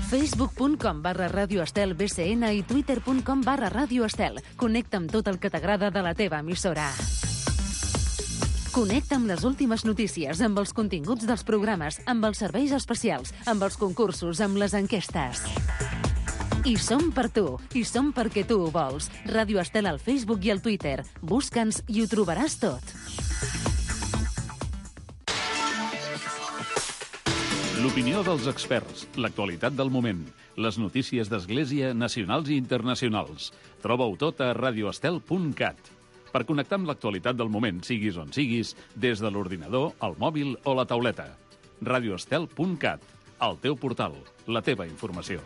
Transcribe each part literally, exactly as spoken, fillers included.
facebook.com barra Ràdio Estel B C N i twitter.com barra Ràdio Estel. Connecta amb tot el que t'agrada de la teva emissora. Connecta amb les últimes notícies, amb els continguts dels programes, amb els serveis especials, amb els concursos, amb les enquestes. I som per tu, i som perquè tu ho vols. Ràdio Estel al Facebook i al Twitter. Busca'ns i ho trobaràs tot. L'opinió dels experts, l'actualitat del moment, les notícies d'Església nacionals i internacionals. Troba-ho tot a radioestel punt cat. Per connectar amb l'actualitat del moment, siguis on siguis, des de l'ordinador, el mòbil o la tauleta. radioestel punt cat, el teu portal, la teva informació.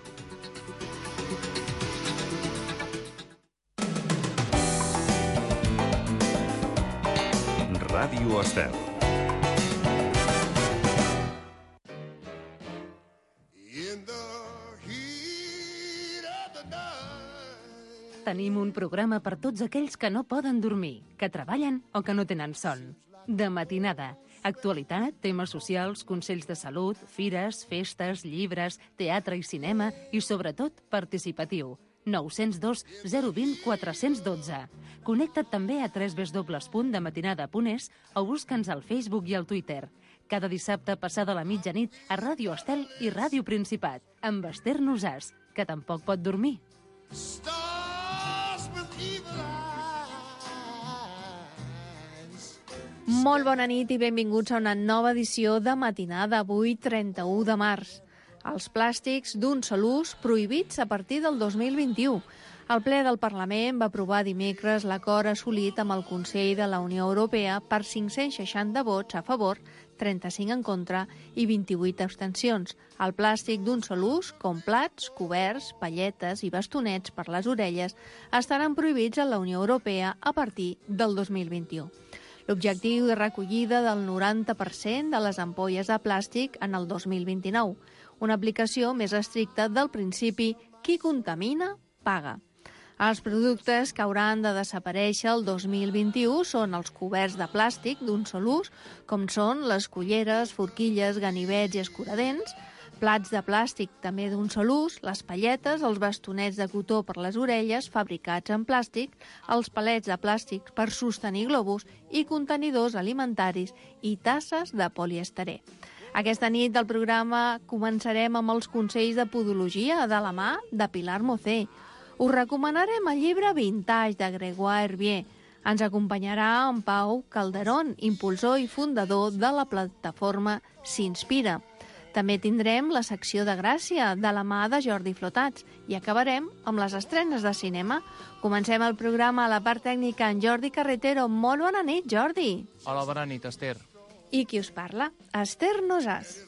Ràdio Estel. Tenim un programa per tots aquells que no poden dormir, que treballen o que no tenen son. De matinada. Actualitat, temes socials, consells de salut, fires, festes, llibres, teatre i cinema i, sobretot, participatiu. nou zero dos zero dos zero quatre un dos. Connecta't també a w w w punt dematinada punt es o busca'ns al Facebook i al Twitter. Cada dissabte passada la mitjanit a Ràdio Estel i Ràdio Principat, amb Esther Nosàs, que tampoc pot dormir. Molt bona nit i benvinguts a una nova edició de Matinada, avui trenta-u de març. Els plàstics d'un sol ús prohibits a partir del dos mil vint-i-u. El ple del Parlament va aprovar dimecres l'acord assolit amb el Consell de la Unió Europea per cinc-cents seixanta vots a favor, trenta-cinc en contra i vint-i-vuit abstencions. El plàstic d'un sol ús, com plats, coberts, palletes i bastonets per les orelles, estaran prohibits a la Unió Europea a partir del dos mil vint-i-u. L'objectiu de recollida del noranta per cent de les ampolles de plàstic en el dos mil vint-i-nou, una aplicació més estricta del principi qui contamina, paga. Els productes que hauran de desaparèixer el dos mil vint-i-u són els coberts de plàstic d'un sol ús, com són les culleres, forquilles, ganivets i escuradents, plats de plàstic també d'un sol ús, les palletes, els bastonets de cotó per les orelles fabricats en plàstic, els palets de plàstic per sostenir globus i contenidors alimentaris i tasses de polièster. Aquesta nit del programa començarem amb els consells de podologia de la mà de Pilar Mocé. Us recomanarem el llibre Vintage de Grégoire Hervier. Ens acompanyarà en Pau Calderón, impulsor i fundador de la plataforma S'Inspira. També tindrem la secció de Gràcia de la mà de Jordi Flotats i acabarem amb les estrenes de cinema. Comencem el programa a la part tècnica en Jordi Carretero. Molt bona nit, Jordi. Hola, bona nit, Esther. I qui us parla? Esther Nosàs.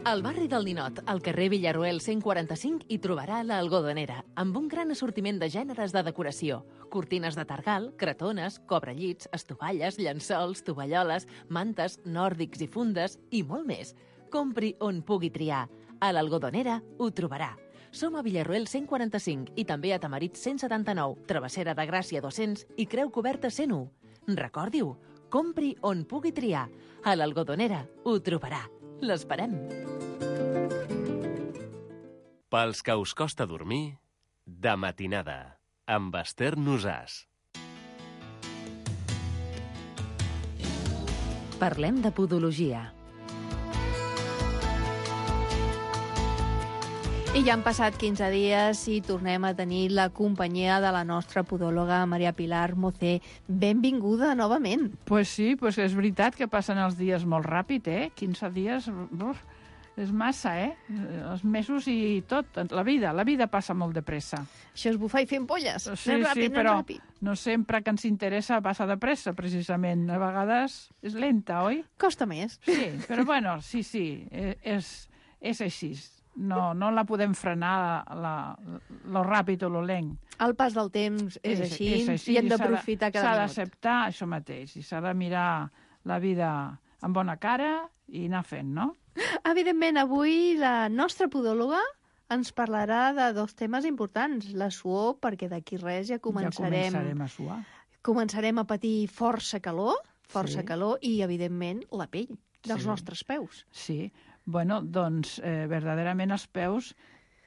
Al barri del Ninot, al carrer Villarroel cent quaranta-cinc, hi trobarà l'Algodonera, amb un gran assortiment de gèneres de decoració. Cortines de targal, cretones, cobrellits, estovalles, llençols, tovalloles, mantes, nòrdics i fundes i molt més. Compri on pugui triar. A l'Algodonera ho trobarà. Som a Villarroel cent quaranta-cinc i també a Tamarit cent setanta-nou, Travessera de Gràcia dos-cents i Creu Coberta cent u. Recordi-ho, compri on pugui triar. A l'Algodonera ho trobarà. L'esperem. Pels que us costa dormir, de matinada, amb Esther Nosàs. Parlem de podologia. I ja han passat quinze dies i tornem a tenir la companyia de la nostra podòloga Maria Pilar Mocé. Benvinguda novament. Pues sí, pues és veritat que passen els dies molt ràpid, eh? quinze dies, uf, és massa, eh? Els mesos i tot. La vida, la vida passa molt de pressa. Això és bufar i fer ampolles. Sí, anem ràpid, sí, anem però ràpid. no sempre que ens interessa passa de pressa, precisament. A vegades és lenta, oi? Costa més. Sí, però bueno, sí, sí, és, és així. No, no la podem frenar la, lo ràpid o lo lent. El pas del temps és, és, així, és així i hem d'aprofitar cada minut. S'ha minut. d'acceptar això mateix i s'ha de mirar la vida amb bona cara i anar fent, no? Evidentment, avui la nostra podòloga ens parlarà de dos temes importants. La suor, perquè d'aquí res ja començarem, ja començarem a suar. Començarem a patir força calor, força Sí. calor, i, evidentment, la pell dels Sí. nostres peus. Sí, bueno, doncs, eh, verdaderament els peus,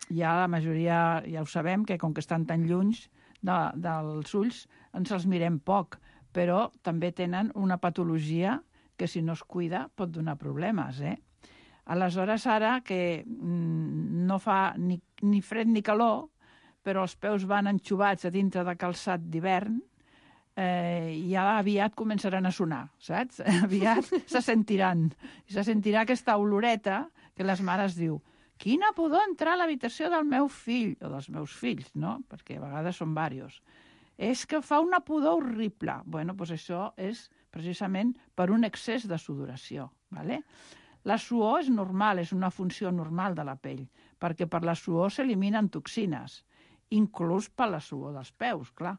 ja la majoria, ja ho sabem, que com que estan tan lluny de, dels ulls, ens els mirem poc, però també tenen una patologia que si no es cuida pot donar problemes, eh? Aleshores, ara que mm, no fa ni, ni fred ni calor, però els peus van enxubats a dintre de calçat d'hivern, eh, ja aviat començaran a sonar, saps? Aviat se sentiran. I se sentirà aquesta oloreta que les mares diu quina pudor entrar a l'habitació del meu fill, o dels meus fills, no? Perquè a vegades són diversos. És que fa una pudor horrible. Bueno, doncs això és precisament per un excés de sudoració, ¿vale? La suor és normal, és una funció normal de la pell, perquè per la suor s'eliminen toxines, inclús per la suor dels peus, clar.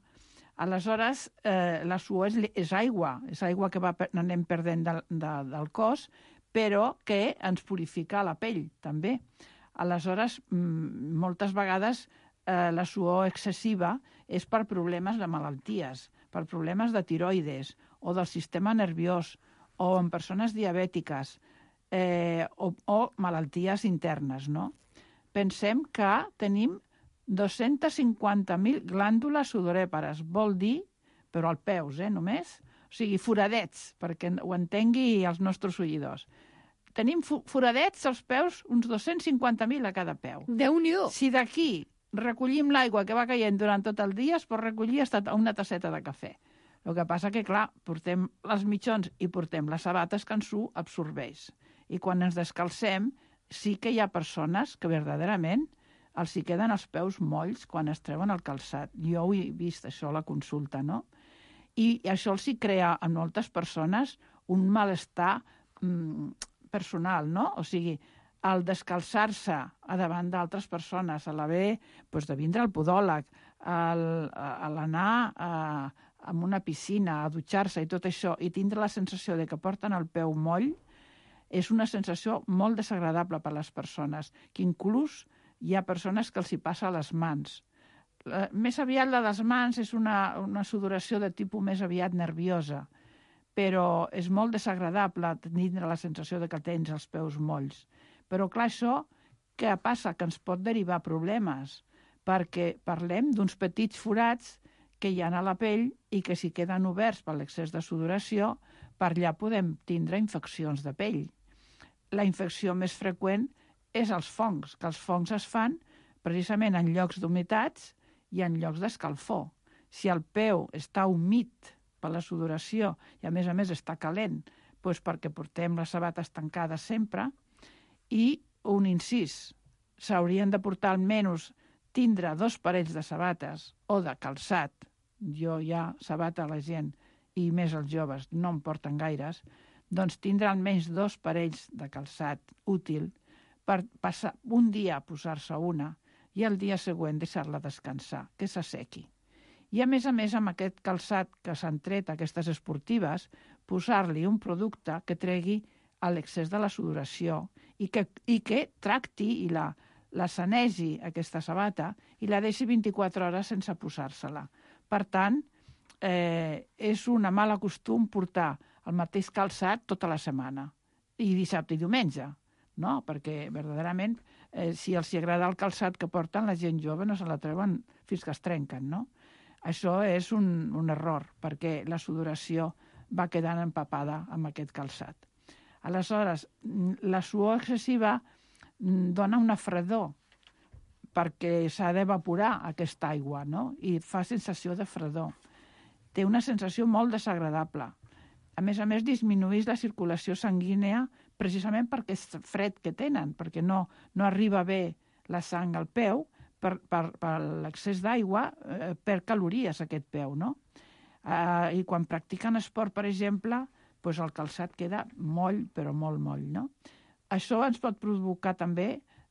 Aleshores, eh, la suor és, és aigua, és aigua que va, anem perdent de, de, del cos, però que ens purifica la pell, també. Aleshores, moltes vegades eh, la suor excessiva és per problemes de malalties, per problemes de tiroides o del sistema nerviós o en persones diabètiques eh, o, o malalties internes, no? Pensem que tenim dos-cents cinquanta mil glàndules sudorèpares, vol dir, però als peus, eh, només, o sigui, foradets, perquè ho entengui els nostres oïdors. Tenim foradets als peus, uns dos-cents cinquanta mil a cada peu. Déu-n'hi-do! Si d'aquí recollim l'aigua que va caient durant tot el dia, es pot recollir fins a una tasseta de cafè. El que passa que, clar, portem les mitjons i portem les sabates que ens ho absorbeix. I quan ens descalcem, sí que hi ha persones que verdaderament els hi queden els peus molls quan es treuen el calçat. Jo ho he vist, això, a la consulta, no? I això els hi crea a moltes persones un malestar mm, personal, no? O sigui, al descalçar-se a davant d'altres persones, a l'haver doncs, de vindre al podòleg, al, a l'anar a, a una piscina, a dutxar-se i tot això, i tindre la sensació de que porten el peu moll, és una sensació molt desagradable per a les persones, que inclús hi ha persones que els hi passa a les mans. La, més aviat la dels mans és una, una sudoració de tipus més aviat nerviosa, però és molt desagradable tindre la sensació de que tens els peus molls. Però clar, això què passa? Que ens pot derivar problemes, perquè parlem d'uns petits forats que hi ha a la pell i que si queden oberts per l'excés de sudoració, per allà podem tindre infeccions de pell. La infecció més freqüent és els fongs, que els fongs es fan precisament en llocs d'humitats i en llocs d'escalfor. Si el peu està humit per la sudoració i a més a més està calent, doncs perquè portem les sabates tancades sempre, i un incís, s'haurien de portar almenys tindre dos parells de sabates o de calçat. Jo ja sabata a la gent i més els joves no en porten gaires, doncs tindre almenys dos parells de calçat útil per passar un dia a posar-se una i el dia següent deixar-la descansar, que s'assequi. I a més a més, amb aquest calçat que s'han tret, aquestes esportives, posar-li un producte que tregui l'excés de la sudoració i que, i que tracti i la, la sanegi aquesta sabata i la deixi vint-i-quatre hores sense posar-se-la. Per tant, eh, és una mala costum portar el mateix calçat tota la setmana, i dissabte i diumenge, no? Perquè verdaderament, eh, si els agrada el calçat que porten, la gent jove no se la treuen fins que es trenquen, no? Això és un, un error, perquè la sudoració va quedant empapada amb aquest calçat. Aleshores, la suor excessiva dona una fredor, perquè s'ha d'evaporar aquesta aigua, no? I fa sensació de fredor. Té una sensació molt desagradable. A més a més, disminueix la circulació sanguínea precisament perquè és fred que tenen, perquè no, no arriba bé la sang al peu per, per, per l'excés d'aigua, eh, per calories aquest peu, no? Eh, I quan practiquen esport, per exemple, doncs el calçat queda moll, però molt moll, no? Això ens pot provocar també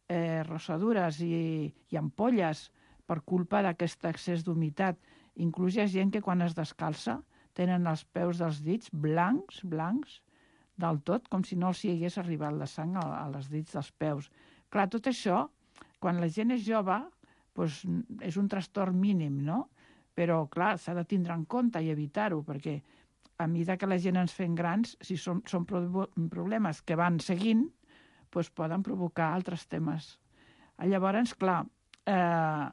eh, rossadures i, i ampolles per culpa d'aquest excés d'humitat. Inclús hi ha gent que quan es descalça tenen els peus dels dits blancs, blancs, del tot, com si no els hi hagués arribat la sang a, a les dits dels peus. Clar, tot això, quan la gent és jove, doncs, és un trastorn mínim, no? Però, clar, s'ha de tindre en compte i evitar-ho, perquè a mesura que la gent ens fem grans, si són, són problemes que van seguint, doncs poden provocar altres temes. Llavors, clar, eh,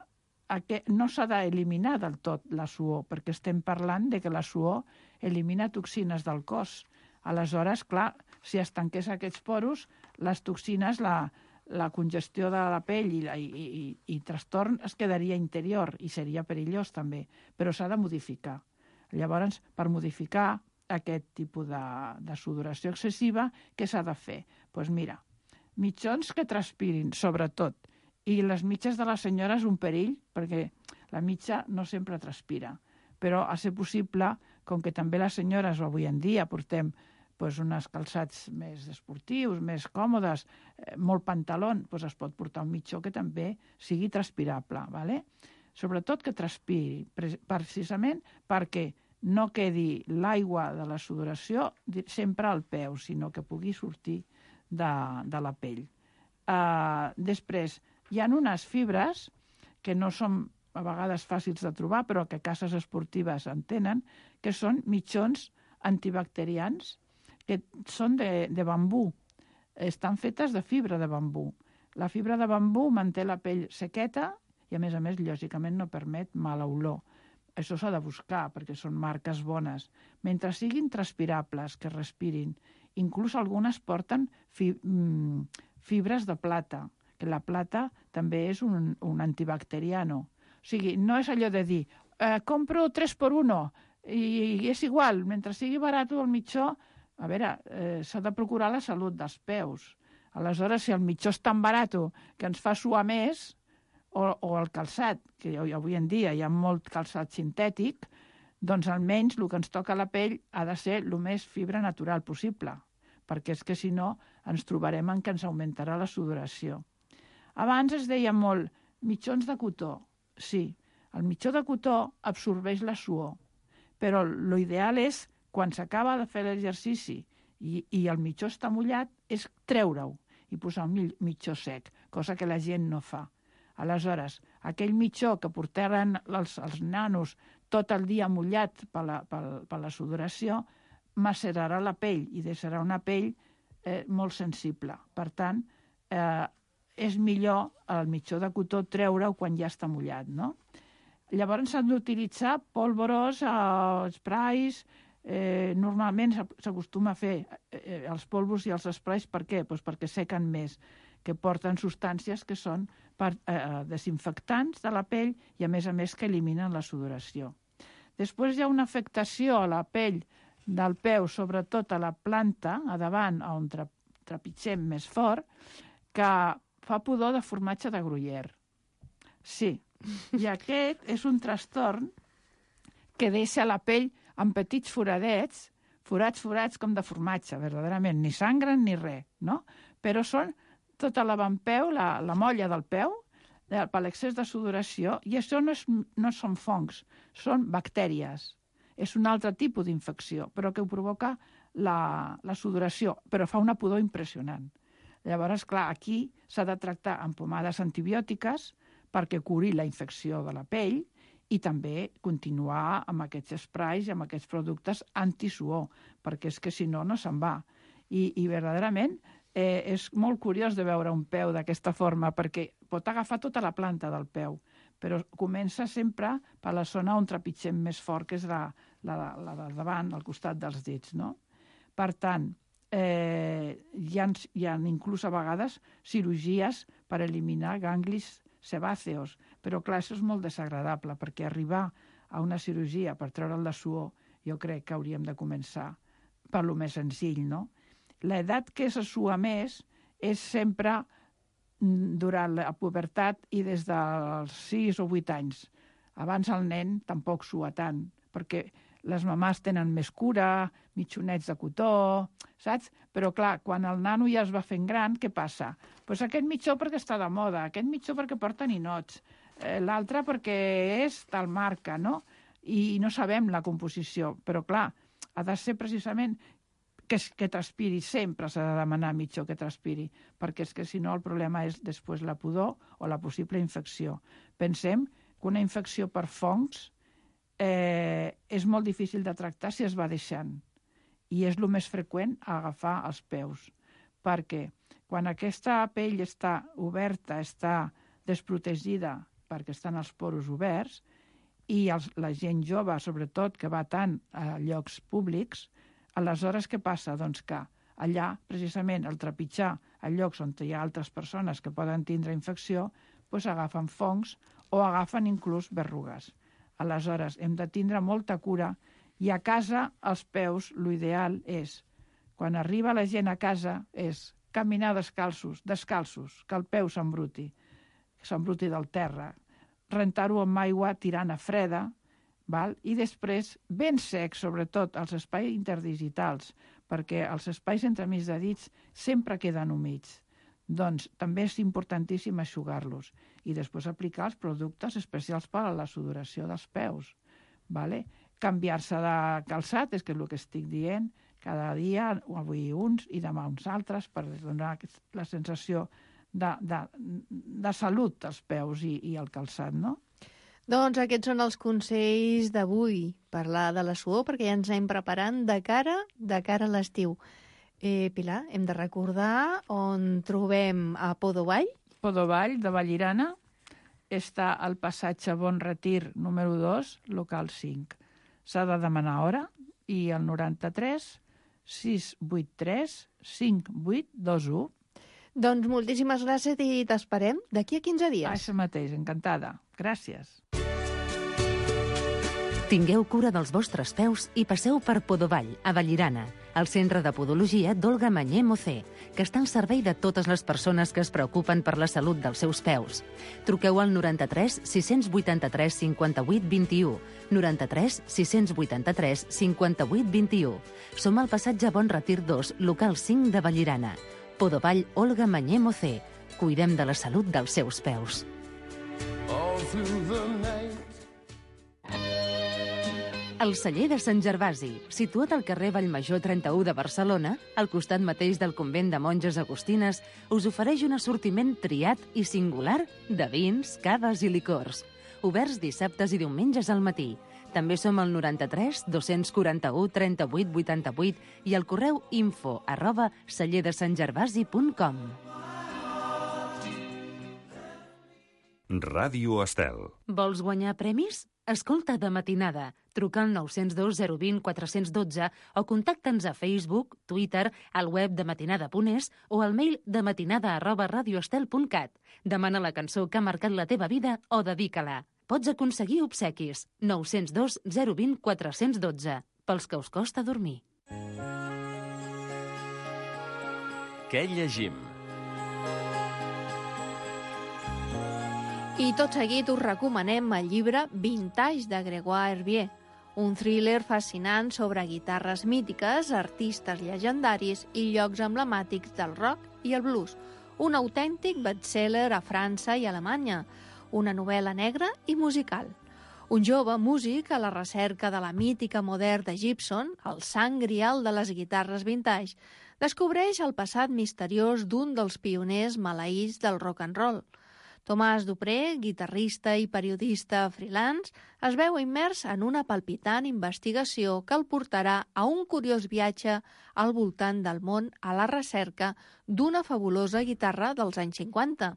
aquest, no s'ha d'eliminar del tot la suor, perquè estem parlant de que la suor elimina toxines del cos. Aleshores, clar, si es tanqués aquests poros, les toxines, la, la congestió de la pell i, i, i, i trastorn es quedaria interior i seria perillós també, però s'ha de modificar. Llavors, per modificar aquest tipus de, de sudoració excessiva, què s'ha de fer? Doncs pues mira, mitjons que transpirin, sobretot, i les mitges de les senyores un perill, perquè la mitja no sempre transpira, però a ser possible, com que també les senyores avui en dia portem pues, uns calçats més esportius, més còmodes, eh, molt pantalon, pues, es pot portar un mitjó que també sigui transpirable, ¿vale? Sobretot que transpiri, precisament perquè no quedi l'aigua de la sudoració sempre al peu, sinó que pugui sortir de, de la pell. Uh, després, hi ha unes fibres que no són a vegades fàcils de trobar, però que cases esportives en tenen, que són mitjons antibacterians, que són de, de bambú. Estan fetes de fibra de bambú. La fibra de bambú manté la pell sequeta i, a més a més, lògicament no permet mala olor. Això s'ha de buscar, perquè són marques bones. Mentre siguin transpirables, que respirin. Inclús algunes porten fi, fibres de plata, que la plata també és un, un antibacteriano. O sigui, no és allò de dir, eh, compro tres per uno i, i és igual, mentre sigui barat el mitjó, a veure, eh, s'ha de procurar la salut dels peus. Aleshores, si el mitjó és tan barat que ens fa suar més, o, o el calçat, que avui en dia hi ha molt calçat sintètic, doncs almenys el que ens toca a la pell ha de ser el més fibra natural possible, perquè és que si no ens trobarem en que ens augmentarà la sudoració. Abans es deia molt mitjons de cotó. Sí, el mitjó de cotó absorbeix la suor, però l'ideal és, quan s'acaba de fer l'exercici i, i el mitjó està mullat, és treure-ho i posar un mitjó sec, cosa que la gent no fa. Aleshores, aquell mitjó que portaran els, els nanos tot el dia mullat per la, per, per la sudoració, macerarà la pell i deixarà una pell eh, molt sensible. Per tant, eh, és millor el mitjó de cotó treure-ho quan ja està mullat, no? Llavors s'han d'utilitzar pólvoros, eh, sprays. Eh, normalment s'acostuma a fer eh, els polvos i els sprays. Per què? Pues perquè sequen més, que porten substàncies que són per, eh, desinfectants de la pell i, a més a més, que eliminen la sudoració. Després hi ha una afectació a la pell del peu, sobretot a la planta, a davant, on tra trepitgem més fort, que fa pudor de formatge de Gruyère. Sí, i aquest és un trastorn que deixa la pell amb petits foradets, forats, forats com de formatge, verdaderament, ni sangren ni res, no? Però són tota l'avantpeu, la, la molla del peu, de, per l'excés de sudoració, i això no, és, no són fongs, són bactèries. És un altre tipus d'infecció, però que ho provoca la, la sudoració, però fa una pudor impressionant. Llavors, clar, aquí s'ha de tractar amb pomades antibiòtiques perquè curi la infecció de la pell, i també continuar amb aquests sprays i amb aquests productes antisuor, perquè és que si no, no se'n va. I, i verdaderament eh, és molt curiós de veure un peu d'aquesta forma, perquè pot agafar tota la planta del peu, però comença sempre per la zona on trepitgem més fort, que és la, la, la de davant, al costat dels dits, no? Per tant, eh, hi ha, hi ha inclús a vegades cirurgies per eliminar ganglis sebàceos, però clar, això és molt desagradable, perquè arribar a una cirurgia per treure'l de suor, jo crec que hauríem de començar per lo més senzill, no? L'edat que se sua més és sempre durant la pubertat i des dels sis o vuit anys. Abans el nen tampoc sua tant, perquè les mamàs tenen més cura, mitjonets de cotó, saps? Però clar, quan el nano ja es va fent gran, què passa? Doncs aquest mitjó perquè està de moda, aquest mitjó perquè porta ninots, eh, l'altre perquè és tal marca, no? I no sabem la composició, però clar, ha de ser precisament que, que transpiri, sempre s'ha de demanar mitjó que transpiri, perquè és que si no el problema és després la pudor o la possible infecció. Pensem que una infecció per fongs eh, és molt difícil de tractar si es va deixant, i és el més freqüent agafar els peus, perquè quan aquesta pell està oberta, està desprotegida perquè estan els poros oberts, i els, la gent jove, sobretot, que va tant a llocs públics, aleshores què passa? Doncs que allà, precisament, al trepitjar a llocs on hi ha altres persones que poden tindre infecció, doncs agafen fongs o agafen inclús berrugues. Aleshores, hem de tindre molta cura, i a casa, als peus, l'ideal és, quan arriba la gent a casa, és caminar descalços, descalços, que el peu s'embruti, s'embruti del terra, rentar-ho amb aigua tirant a freda, val? I després ben secs, sobretot als espais interdigitals, perquè els espais entremig de dits sempre queden humits. Doncs també és importantíssim eixugar-los i després aplicar els productes especials per a la sudoració dels peus. Vale? Canviar-se de calçat, és que és el que estic dient, cada dia, avui uns i demà uns altres, per donar la sensació de, de, de salut als peus i, i al calçat, no? Doncs aquests són els consells d'avui, parlar de la suor, perquè ja ens anem preparant de cara, de cara a l'estiu. Eh, Pilar, hem de recordar on trobem a Podovall. Podovall, de Vallirana, està al passatge Bon Retir número dos, local cinc. S'ha de demanar hora i el noranta-tres sis vuit tres cinc vuit dos u. Doncs moltíssimes gràcies i t'esperem d'aquí a quinze dies. Això mateix, encantada. Gràcies. Tingueu cura dels vostres peus i passeu per Podovall, a Vallirana, el centre de podologia d'Olga Mañé Mocé, que està al servei de totes les persones que es preocupen per la salut dels seus peus. Truqueu al noranta-tres sis vuitanta-tres cinquanta-vuit vint-i-u, noranta-tres sis vuitanta-tres cinquanta-vuit vint-i-u. Som al passatge Bon Retir dos, local cinc de Vallirana. Podovall, Olga Mañé Mocé. Cuidem de la salut dels seus peus. El celler de Sant Gervasi, situat al carrer Vallmajor trenta-u de Barcelona, al costat mateix del convent de monges agustines, us ofereix un assortiment triat i singular de vins, caves i licors. Oberts dissabtes i diumenges al matí. També som al noranta-tres dos quaranta-u trenta-vuit vuitanta-vuit i al correu info arroba celler de sant gervasi punt com. Ràdio Estel. Vols guanyar premis? Escolta de matinada. Truca al nou zero dos zero dos zero quatre un dos o contacta'ns a Facebook, Twitter, al web de matinada punt es o al mail de matinada arroba radioestel punt cat. Demana la cançó que ha marcat la teva vida o dedica-la. Pots aconseguir obsequis. nou zero dos zero dos zero quatre un dos. Pels que us costa dormir. Què llegim? I tot seguit us recomanem el llibre Vintage de Grégoire Herbier, un thriller fascinant sobre guitarres mítiques, artistes llegendaris i llocs emblemàtics del rock i el blues. Un autèntic bestseller a França i Alemanya, una novel·la negra i musical. Un jove músic a la recerca de la mítica modern de Gibson, el sant grial de les guitarres vintage, descobreix el passat misteriós d'un dels pioners maleïts del rock and roll. Tomàs Dupré, guitarrista i periodista freelance, es veu immers en una palpitant investigació que el portarà a un curiós viatge al voltant del món a la recerca d'una fabulosa guitarra dels anys cinquanta.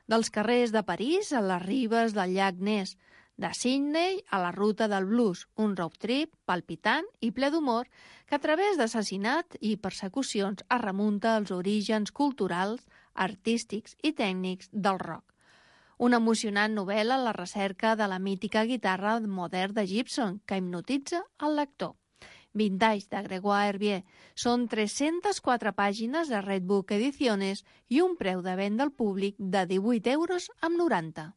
Dels carrers de París a les ribes del llac Ness, de Sydney a la ruta del blues, un road trip palpitant i ple d'humor que a través d'assassinat i persecucions es remunta als orígens culturals, artístics i tècnics del rock. Una emocionant novel·la a la recerca de la mítica guitarra modern de Gibson que hipnotitza el lector. Vintage de Grégoire Herbier. Són tres-centes quatre pàgines de Redbook Ediciones i un preu de venda al públic de divuit euros amb noranta.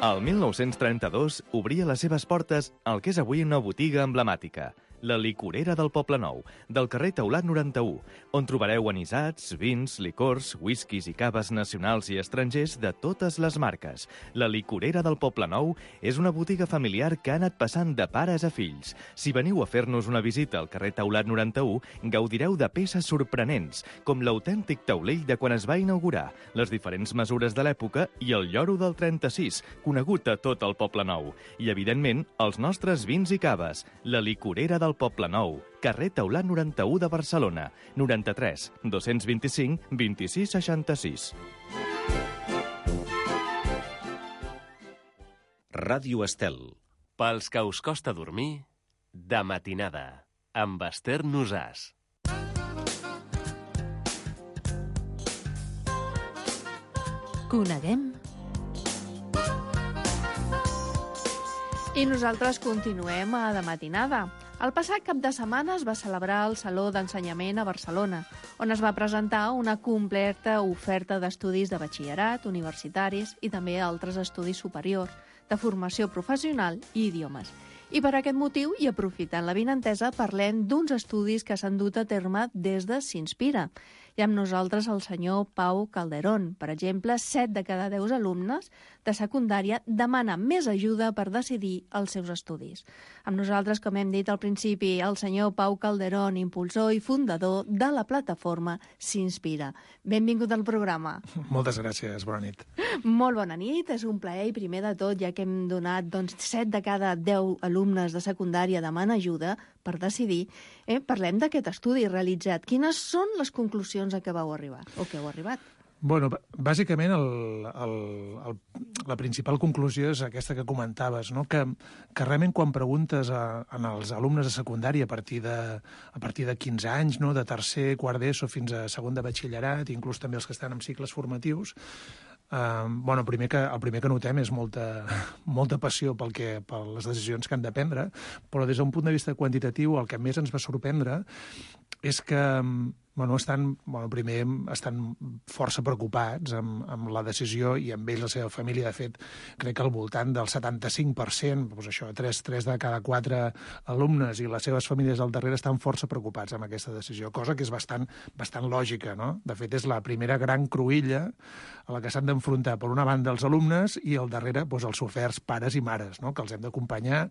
El mil nou-cents trenta-dos obria les seves portes al que és avui una botiga emblemàtica, la licorera del Poblenou, del carrer Taulat noranta-u, on trobareu anisats, vins, licors, whiskies i caves nacionals i estrangers de totes les marques. La licorera del Poblenou és una botiga familiar que ha anat passant de pares a fills. Si veniu a fer-nos una visita al carrer Taulat noranta-u, gaudireu de peces sorprenents, com l'autèntic taulell de quan es va inaugurar, les diferents mesures de l'època i el lloro del trenta-sis, conegut a tot el Poblenou. I, evidentment, els nostres vins i caves. La licorera del Poblenou, carrer Taulat noranta-u de Barcelona, noranta-tres, dos-cents vint-i-cinc, vint-i-sis seixanta-sis. Ràdio Estel. Pels que us costa dormir, de matinada, amb Esther Nosàs. Coneguem. I nosaltres continuem a de matinada. El passat cap de setmana es va celebrar el Saló d'Ensenyament a Barcelona, on es va presentar una completa oferta d'estudis de batxillerat, universitaris i també altres estudis superiors, de formació professional i idiomes. I per aquest motiu, i aprofitant l'avinentesa, parlem d'uns estudis que s'han dut a terme des de S'Inspira. I amb nosaltres el senyor Pau Calderón. Per exemple, set de cada deu alumnes de secundària demanen més ajuda per decidir els seus estudis. Amb nosaltres, com hem dit al principi, el senyor Pau Calderón, impulsor i fundador de la plataforma S'Inspira. Benvingut al programa. Moltes gràcies, bona nit. Molt bona nit, és un plaer i primer de tot, ja que hem donat doncs, set de cada deu alumnes de secundària demanen ajuda per decidir, eh, parlem d'aquest estudi realitzat. Quines són les conclusions a què vau arribar, o que heu arribat? Bueno, bàsicament el, el, el, la principal conclusió és aquesta que comentaves, no? que, que realment quan preguntes a, a els alumnes de secundària a partir de, a partir de quinze anys, no? de tercer, quart d'ESO fins a segon de batxillerat, inclús també els que estan en cicles formatius, Uh, bueno, primer que, el primer que notem és molta, molta passió pel que, per les decisions que han de prendre, però des d'un punt de vista quantitatiu el que més ens va sorprendre és que bueno, estan, bueno, primer estan força preocupats amb, amb la decisió i amb ells la seva família. De fet, crec que al voltant del setanta-cinc per cent, doncs això, tres, tres de cada quatre alumnes i les seves famílies al darrere estan força preocupats amb aquesta decisió, cosa que és bastant, bastant lògica, no? De fet, és la primera gran cruïlla a la que s'han d'enfrontar, per una banda, els alumnes i al darrere doncs, els soferts pares i mares, no? Que els hem d'acompanyar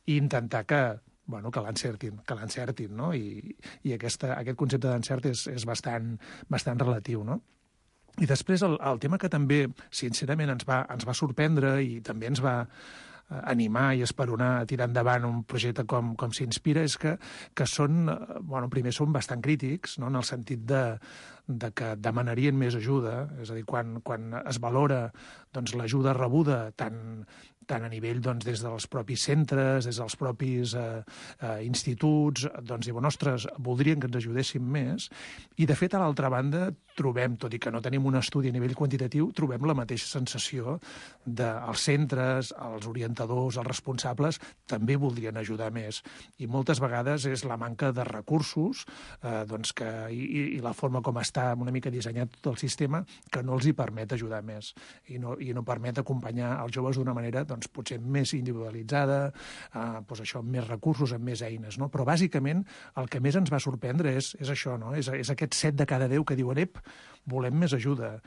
i intentar que bueno, que l'encertin, que l'encertin, no? I, i aquesta, aquest concepte d'encert és, és bastant, bastant relatiu, no? I després el, el tema que també, sincerament, ens va, ens va sorprendre i també ens va animar i esperonar a tirar endavant un projecte com, com S'Inspira és que, que són, bueno, primer són bastant crítics, no? En el sentit de, de que demanarien més ajuda, és a dir, quan, quan es valora doncs, l'ajuda rebuda tant, tant a nivell doncs, des dels propis centres, des dels propis eh, eh, instituts, doncs diuen, ostres, voldrien que ens ajudéssim més. I, de fet, a l'altra banda, trobem, tot i que no tenim un estudi a nivell quantitatiu, trobem la mateixa sensació dels centres, els orientadors, els responsables, també voldrien ajudar més. I moltes vegades és la manca de recursos eh, doncs que, i, i la forma com està una mica dissenyat tot el sistema que no els hi permet ajudar més i no, i no permet acompanyar els joves d'una manera doncs, potser més individualitzada, eh, doncs això, amb més recursos, amb més eines, no? Però bàsicament el que més ens va sorprendre és, és això, no? És, és aquest set de cada deu que diuen, ep, volem més ajuda,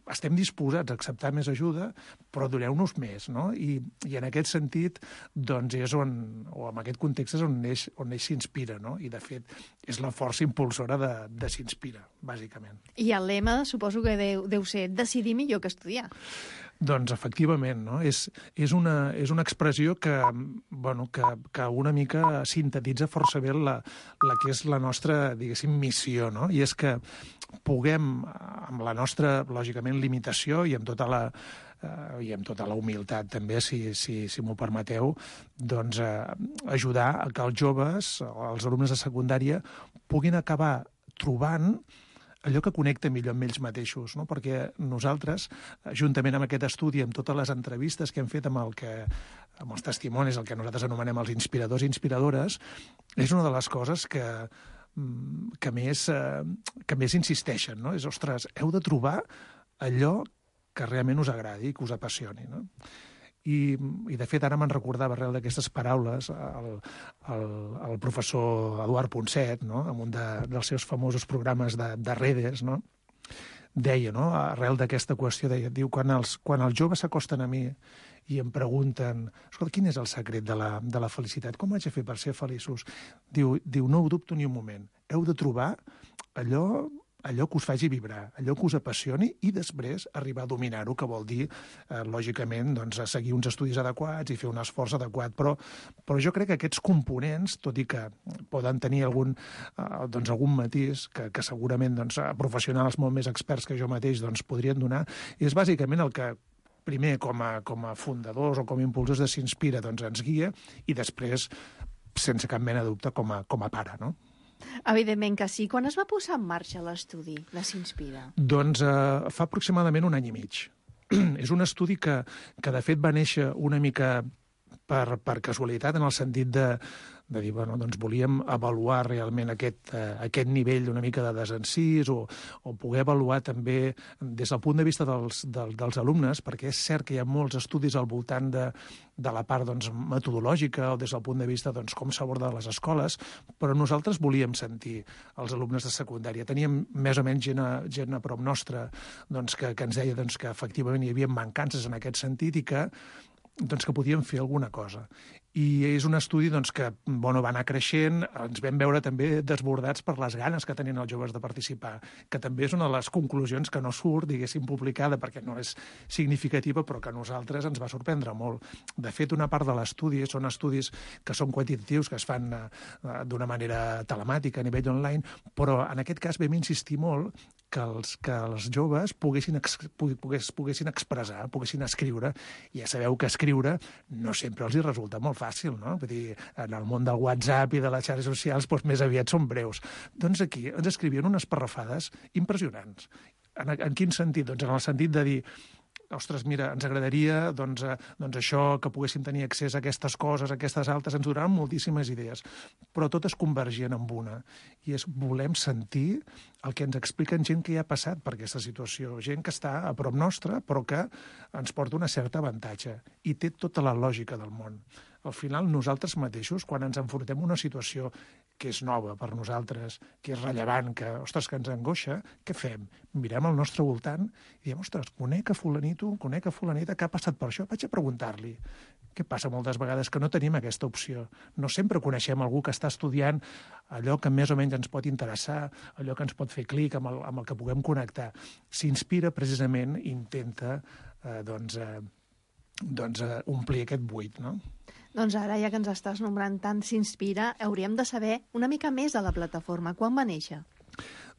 estem disposats a acceptar més ajuda, però doneu-nos més, no? I, i en aquest sentit, doncs és on, o en aquest context és on neix, on neix S'Inspira, no? I de fet és la força impulsora de, de S'Inspira, bàsicament. I el lema suposo que deu, deu ser decidir millor que estudiar. Doncs efectivament, no? És, és, una, és una expressió que, bueno, que, que una mica sintetitza força bé la, la que és la nostra, diguéssim, missió, no? I és que puguem, amb la nostra, lògicament, limitació i amb tota la, eh, i amb tota la humilitat també, si, si, si m'ho permeteu, doncs eh, ajudar a que els joves, els alumnes de secundària, puguin acabar trobant allò que connecta millor amb ells mateixos, no? Perquè nosaltres, juntament amb aquest estudi, amb totes les entrevistes que hem fet amb, el que, amb els testimonis, el que nosaltres anomenem els inspiradors i inspiradores, és una de les coses que, que, més, que més insisteixen, no? És, ostres, heu de trobar allò que realment us agradi, que us apassioni, no? I, i de fet, ara me'n recordava arrel d'aquestes paraules el, el, el professor Eduard Ponset, no? En un de, dels seus famosos programes de, de redes, no? Deia, no? Arrel d'aquesta qüestió, deia, diu, quan els, quan els joves s'acosten a mi i em pregunten, escolta, quin és el secret de la, de la felicitat? Com haig de fer per ser feliços? Diu, diu, no ho dubto ni un moment. Heu de trobar allò, allò que us faci vibrar, allò que us apassioni i després arribar a dominar-ho, que vol dir, eh, lògicament, doncs, seguir uns estudis adequats i fer un esforç adequat. Però, però jo crec que aquests components, tot i que poden tenir algun, eh, doncs, algun matís que, que segurament doncs, professionals molt més experts que jo mateix doncs, podrien donar, és bàsicament el que primer com a, com a fundadors o com a impulsors de S'Inspira doncs, ens guia i després, sense cap mena de dubte, com a, com a pare, no? Evidentment que sí. Quan es va posar en marxa l'estudi de S'Inspira? Doncs eh, fa aproximadament un any i mig. És un estudi que, que de fet va néixer una mica per, per casualitat, en el sentit de, de dir, bueno, doncs volíem avaluar realment aquest, eh, aquest nivell una mica de desencís o, o poder avaluar també des del punt de vista dels, del, dels alumnes, perquè és cert que hi ha molts estudis al voltant de, de la part doncs, metodològica o des del punt de vista doncs, com s'aborda a les escoles, però nosaltres volíem sentir els alumnes de secundària. Teníem més o menys gent a, gent a prop nostra doncs, que, que ens deia doncs, que efectivament hi havia mancances en aquest sentit i que doncs que podíem fer alguna cosa. I és un estudi doncs, que bueno, va anar creixent, ens vam veure també desbordats per les ganes que tenien els joves de participar, que també és una de les conclusions que no surt, diguéssim, publicada, perquè no és significativa, però que a nosaltres ens va sorprendre molt. De fet, una part de l'estudi són estudis que són quantitatius, que es fan eh, d'una manera telemàtica a nivell online, però en aquest cas vam insistir molt que els, que els joves poguessin, ex, pogués, poguessin expressar, poguessin escriure. Ja sabeu que escriure no sempre els hi resulta molt fàcil, no? Vull dir, en el món del WhatsApp i de les xarxes socials doncs més aviat són breus. Doncs aquí ens escrivien unes parrafades impressionants. En, en quin sentit? Doncs en el sentit de dir, ostres, mira, ens agradaria doncs, eh, doncs això, que poguéssim tenir accés a aquestes coses, a aquestes altres, ens donaran moltíssimes idees, però totes convergien en una, i és volem sentir el que ens expliquen gent que hi ha passat per aquesta situació, gent que està a prop nostra, però que ens porta una certa avantatge, i té tota la lògica del món. Al final, nosaltres mateixos, quan ens enfrontem a una situació que és nova per nosaltres, que és rellevant, que, ostres, que ens angoixa, què fem? Mirem al nostre voltant i diem, ostres, conec a fulanito, conec a fulanita que ha passat per això, vaig a preguntar-li. Què passa moltes vegades? Que no tenim aquesta opció. No sempre coneixem algú que està estudiant allò que més o menys ens pot interessar, allò que ens pot fer clic, amb el, amb el que puguem connectar. S'Inspira, precisament, intenta eh, doncs, eh, doncs, eh, omplir aquest buit, no? Doncs ara, ja que ens estàs nombrant tant S'Inspira, hauríem de saber una mica més de la plataforma. Quan va néixer?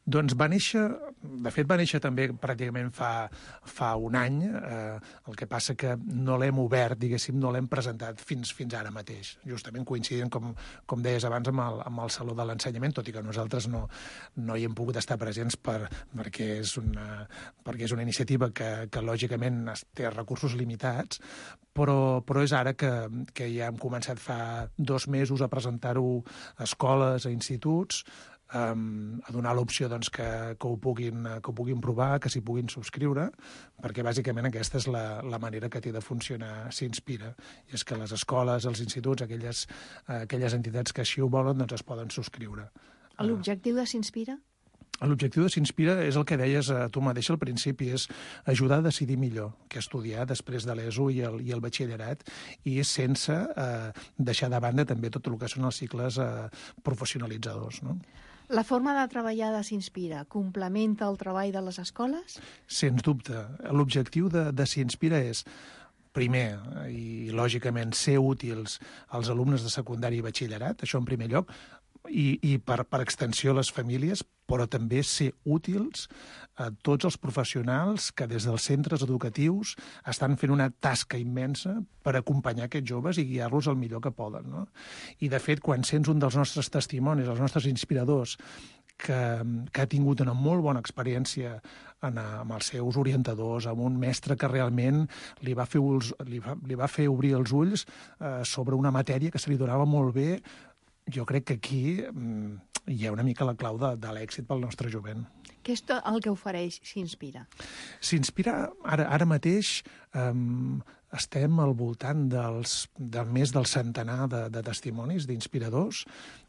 Doncs va néixer, de fet va néixer també pràcticament fa, fa un any, eh, el que passa que no l'hem obert, diguéssim, no l'hem presentat fins, fins ara mateix, justament coincidint, com, com deies abans, amb el, amb el Saló de l'Ensenyament, tot i que nosaltres no, no hi hem pogut estar presents per, perquè, és una, perquè és una iniciativa que, que lògicament té recursos limitats, però, però és ara que, que ja hem començat fa dos mesos a presentar-ho a escoles, a instituts, Um, a donar l'opció doncs, que, que, ho puguin, que ho puguin provar, que s'hi puguin subscriure, perquè bàsicament aquesta és la, la manera que té de funcionar S'Inspira. I és que les escoles, els instituts, aquelles, uh, aquelles entitats que així ho volen, doncs es poden subscriure. L'objectiu de S'Inspira? L'objectiu de S'Inspira és el que deies a tu mateix al principi, és ajudar a decidir millor què estudiar després de l'E S O i el, i el batxillerat, i sense eh, deixar de banda també tot el que són els cicles eh, professionalitzadors, no? La forma de treballar de S'Inspira complementa el treball de les escoles? Sens dubte. L'objectiu de, de S'Inspira és, primer, i lògicament, ser útils als alumnes de secundària i batxillerat, això en primer lloc, i, i per, per extensió a les famílies, però també ser útils a tots els professionals que des dels centres educatius estan fent una tasca immensa per acompanyar aquests joves i guiar-los el millor que poden, no? I, de fet, quan sents un dels nostres testimonis, els nostres inspiradors, que, que ha tingut una molt bona experiència en, amb els seus orientadors, amb un mestre que realment li va fer, ulls, li va, li va fer obrir els ulls eh, sobre una matèria que se li donava molt bé, jo crec que aquí mm, hi ha una mica la clau de, de l'èxit pel nostre jovent. Què és el que ofereix S'Inspira? S'Inspira ara, ara mateix um, estem al voltant dels, de més del centenar de, de testimonis, d'inspiradors,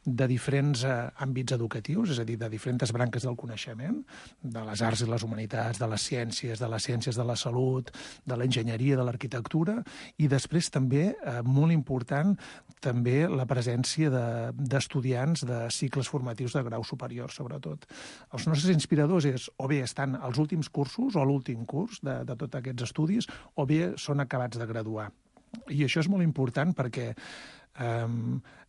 de diferents eh, àmbits educatius, és a dir, de diferents branques del coneixement, de les arts i les humanitats, de les ciències, de les ciències de la salut, de l'enginyeria, de l'arquitectura, i després també, eh, molt important, també la presència d'estudiants de, de cicles formatius de grau superior, sobretot. Els nostres inspiradors és, o bé estan als últims cursos o a l'últim curs de, de tots aquests estudis, o bé són acabats de graduar. I això és molt important perquè eh,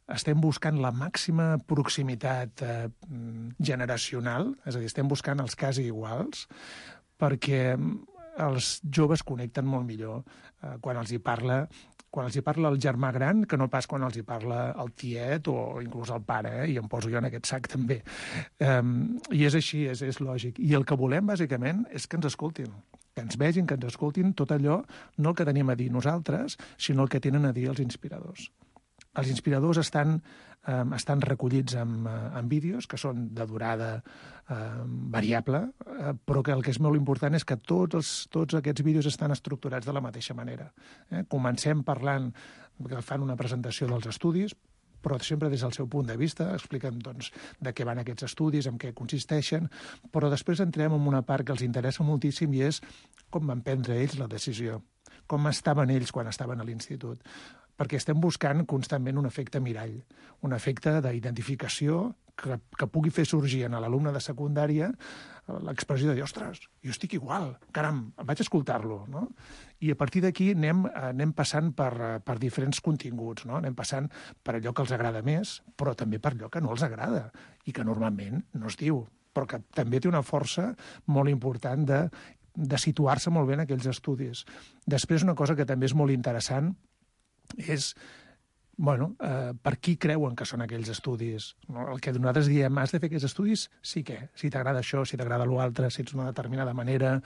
estem buscant la màxima proximitat eh, generacional, és a dir, estem buscant els quasi iguals, perquè els joves connecten molt millor eh, quan els hi parla quan els hi parla el germà gran que no pas quan els hi parla el tiet o inclús el pare, eh? I em poso jo en aquest sac també. Um, I és així, és, és lògic. I el que volem, bàsicament, és que ens escoltin, que ens vegin, que ens escoltin tot allò, no el que tenim a dir nosaltres, sinó el que tenen a dir els inspiradors. Els inspiradors estan, eh, estan recollits en, en vídeos que són de durada eh, variable, eh, però que el que és molt important és que tots, els, tots aquests vídeos estan estructurats de la mateixa manera. Eh? Comencem parlant, que fan una presentació dels estudis, però sempre des del seu punt de vista, expliquen doncs, de què van aquests estudis, en què consisteixen, però després entrem en una part que els interessa moltíssim i és com van prendre ells la decisió, com estaven ells quan estaven a l'institut, perquè estem buscant constantment un efecte mirall, un efecte d'identificació que, que pugui fer sorgir en l'alumne de secundària l'expressió de dir, ostres, jo estic igual, caram, vaig escoltar-lo, no? I a partir d'aquí anem, anem passant per, per diferents continguts, no? Anem passant per allò que els agrada més, però també per allò que no els agrada i que normalment no es diu, però que també té una força molt important de, de situar-se molt bé en aquells estudis. Després, una cosa que també és molt interessant és, bueno, eh, per qui creuen que són aquells estudis. No? El que nosaltres diem, has de fer aquests estudis? Sí que, si t'agrada això, si t'agrada l'altre, si ets d'una determinada manera.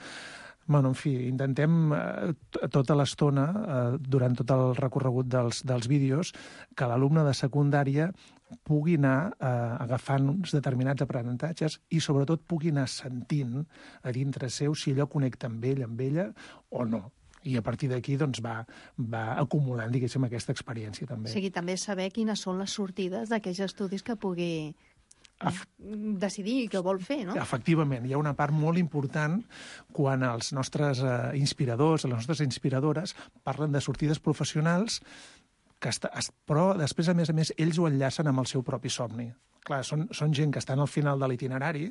Bueno, en fi, intentem eh, tota l'estona, eh, durant tot el recorregut dels, dels vídeos, que l'alumne de secundària pugui anar eh, agafant uns determinats aprenentatges i sobretot pugui anar sentint a dintre seu si allò connecta amb ell, amb ella o no. I a partir d'aquí doncs, va, va acumulant, diguéssim, aquesta experiència també. O sigui, també saber quines són les sortides d'aquells estudis que pugui Af... decidir què vol fer, no? Efectivament, hi ha una part molt important quan els nostres eh, inspiradors, les nostres inspiradores, parlen de sortides professionals, que està, però després, a més a més, ells ho enllacen amb el seu propi somni. Clar, són, són gent que estan al final de l'itinerari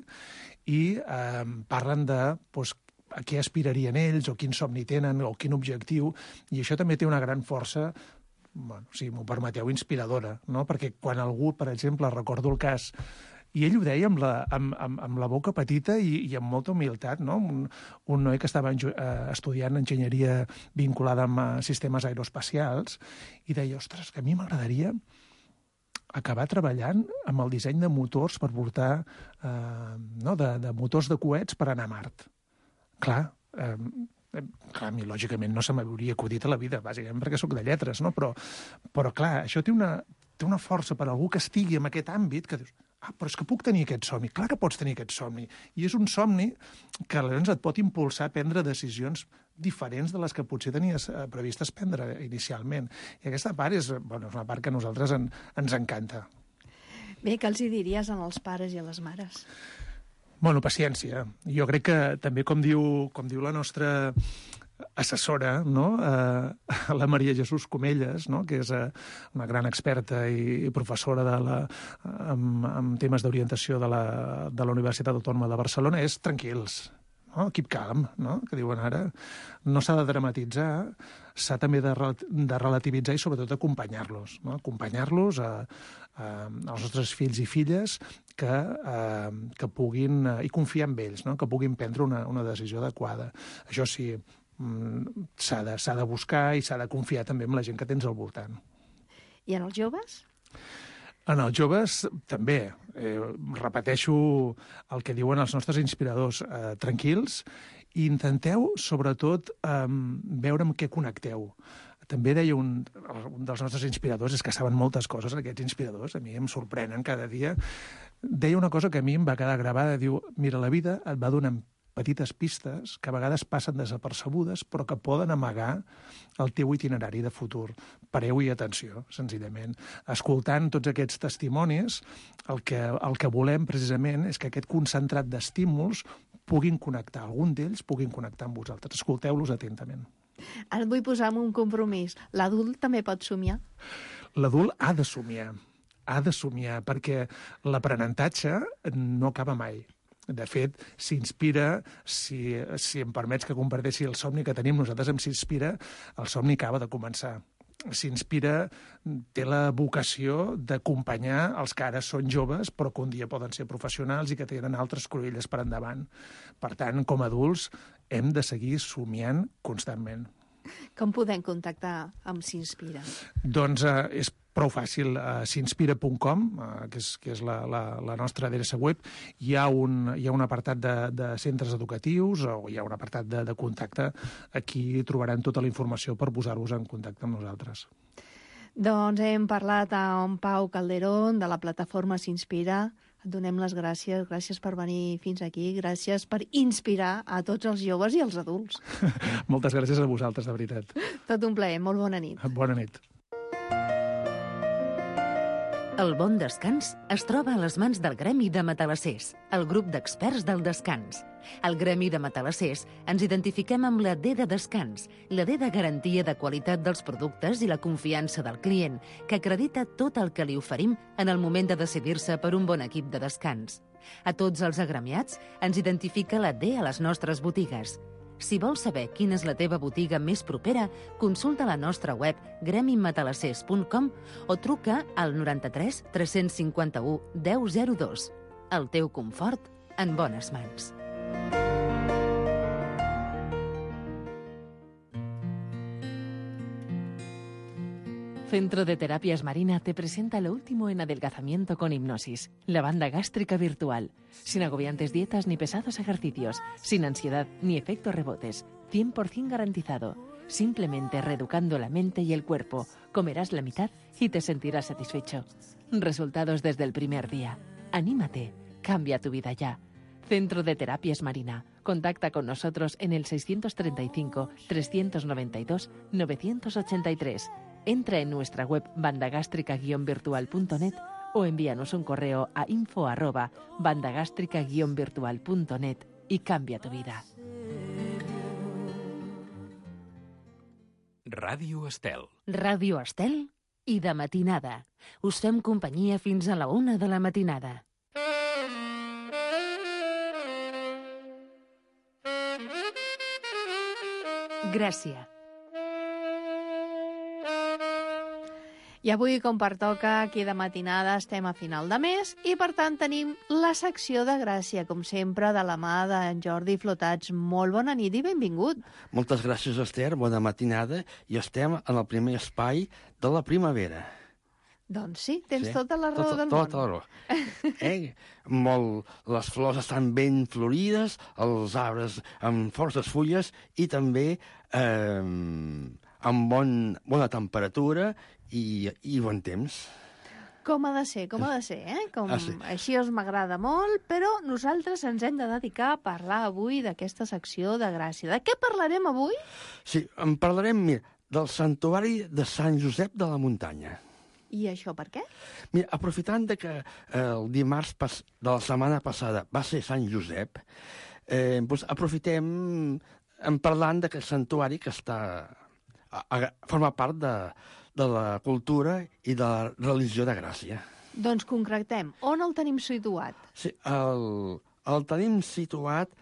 i eh, parlen de doncs, a què aspirarien ells, o quin somni tenen, o quin objectiu, i això també té una gran força, bueno, si m'ho permeteu, inspiradora, no? Perquè quan algú, per exemple, recordo el cas, i ell ho deia amb la, amb, amb, amb la boca petita i, i amb molta humilitat, no? Un, un noi que estava en, eh, estudiant enginyeria vinculada amb uh, sistemes aeroespacials, i deia, ostres, que a mi m'agradaria acabar treballant amb el disseny de motors per portar, eh, no? de, de motors de coets per anar a Mart. Clar, eh, clar, a mi lògicament no se m'hauria acudit a la vida, bàsicament perquè sóc de lletres, no? Però, però clar, això té una, té una força per a algú que estigui en aquest àmbit que dius, ah, però és que puc tenir aquest somni. Clar que pots tenir aquest somni. I és un somni que aleshores et pot impulsar a prendre decisions diferents de les que potser tenies eh, previstes prendre inicialment. I aquesta part és, bueno, és una part que a nosaltres en, ens encanta. Bé, què els hi diries als pares i a les mares? Bueno, paciència. Jo crec que també, com diu, com diu la nostra assessora, no? eh, la Maria Jesús Comelles, no? Que és eh, una gran experta i, i professora de la, en, en temes d'orientació de, la, de la Universitat Autònoma de Barcelona, és tranquils, no? Keep calm, no? Que diuen ara. No s'ha de dramatitzar, s'ha també de, de relativitzar i sobretot acompanyar-los, no? Acompanyar-los a, a, als nostres fills i filles que, a, que puguin, i confiar en ells, no? Que puguin prendre una, una decisió adequada. Això sí, s'ha de, s'ha de buscar i s'ha de confiar també en la gent que tens al voltant. I en els joves? En els joves també, eh, repeteixo el que diuen els nostres inspiradors, eh, tranquils, i intenteu, sobretot, eh, veure amb què connecteu. També deia un, un dels nostres inspiradors, és que saben moltes coses, aquests inspiradors, a mi em sorprenen cada dia, deia una cosa que a mi em va quedar gravada, diu, mira, la vida et va donant petites pistes que a vegades passen desapercebudes, però que poden amagar el teu itinerari de futur. Pareu-hi atenció, senzillament. Escoltant tots aquests testimonis, el que, el que volem precisament és que aquest concentrat d'estímuls puguin connectar, algun d'ells puguin connectar amb vosaltres. Escolteu-los atentament. Ara et vull posar en un compromís. L'adult també pot somiar? L'adult ha de somiar, ha de somiar, perquè l'aprenentatge no acaba mai. De fet, s'inspira, si, si em permets que comparteixi el somni que tenim nosaltres, em s'inspira, el somni acaba de començar. S'inspira, té la vocació d'acompanyar els que ara són joves, però que un dia poden ser professionals i que tenen altres cruïlles per endavant. Per tant, com a adults, hem de seguir somiant constantment. Com podem contactar amb S'Inspira? Doncs eh, és prou fàcil. A s'inspira punt com, eh, que és, que és la, la, la nostra adreça web, hi ha un, hi ha un apartat de, de centres educatius o hi ha un apartat de, de contacte. Aquí trobaran tota la informació per posar-vos en contacte amb nosaltres. Doncs hem parlat amb Pau Calderón, de la plataforma S'Inspira. Et donem les gràcies, gràcies per venir fins aquí, gràcies per inspirar a tots els joves i els adults. Moltes gràcies a vosaltres, de veritat. Tot un plaer, molt bona nit. Bona nit. El bon descans es troba a les mans del Gremi de Matalassers, el grup d'experts del descans. Al Gremi de Matalassers ens identifiquem amb la D de descans, la D de garantia de qualitat dels productes i la confiança del client, que acredita tot el que li oferim en el moment de decidir-se per un bon equip de descans. A tots els agremiats ens identifica la D a les nostres botigues. Si vols saber quina és la teva botiga més propera, consulta la nostra web gremi matalassers punt com o truca al noranta-tres tres cinquanta-u deu zero dos. El teu confort en bones mans. Centro de Terapias Marina te presenta lo último en adelgazamiento con hipnosis, la banda gástrica virtual, sin agobiantes dietas ni pesados ejercicios, sin ansiedad ni efectos rebotes, cien por ciento garantizado. Simplemente reeducando la mente y el cuerpo, comerás la mitad y te sentirás satisfecho. Resultados desde el primer día. Anímate, cambia tu vida ya. Centro de Terapias Marina. Contacta con nosotros en el seiscientos treinta y cinco, trescientos noventa y dos, novecientos ochenta y tres. Entra en nuestra web bandagástrica guion virtual punto net o envíanos un correo a info arroba bandagástrica guion virtual punto net y cambia tu vida. Ràdio Estel. Ràdio Estel i de matinada. Us fem companyia fins a la una de la matinada. Gràcia. I avui, com pertoca, aquí de matinada estem a final de mes i, per tant, tenim la secció de Gràcia, com sempre, de la mà d'en Jordi Flotats. Molt bona nit i benvingut. Moltes gràcies, Esther, bona matinada, i estem en el primer espai de la primavera. Doncs sí, tens sí? tota la raó tota, del món. Tota la raó. Eh? Molt, les flors estan ben florides, els arbres amb forces fulles i també eh, amb bon, bona temperatura i, i bon temps. Com ha de ser, com ha de ser, eh? Com, ah, sí. Així us m'agrada molt, però nosaltres ens hem de dedicar a parlar avui d'aquesta secció de Gràcia. De què parlarem avui? Sí, en parlarem, mira, del santuari de Sant Josep de la Muntanya. I això per què? Mira, aprofitant de que eh, el dimarts pas, de la setmana passada va ser Sant Josep, eh, doncs aprofitem en parlant d'aquest santuari que està, a, a, forma part de, de la cultura i de la religió de Gràcia. Doncs concretem. On el tenim situat? Sí, el, el tenim situat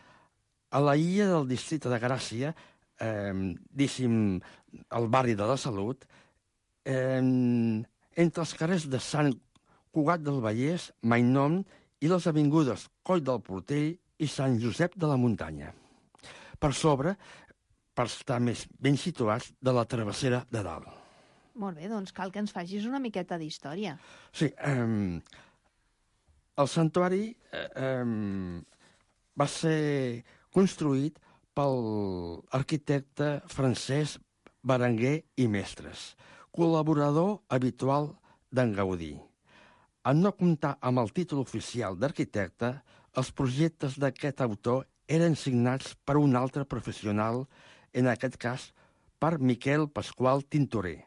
a la illa del districte de Gràcia, eh, diguéssim, al barri de la Salut, eh, entre els carrers de Sant Cugat del Vallès, Mainnom i les avingudes Coll del Portell i Sant Josep de la Muntanya. Per sobre, per estar més ben situats, de la travessera de dalt. Molt bé, doncs cal que ens facis una miqueta d'història. Sí, eh, el santuari eh, va ser construït pel arquitecte Francesc Berenguer i Mestres, col·laborador habitual d'en Gaudí. En no comptar amb el títol oficial d'arquitecte, els projectes d'aquest autor eren signats per un altre professional, en aquest cas per Miquel Pasqual Tintorer,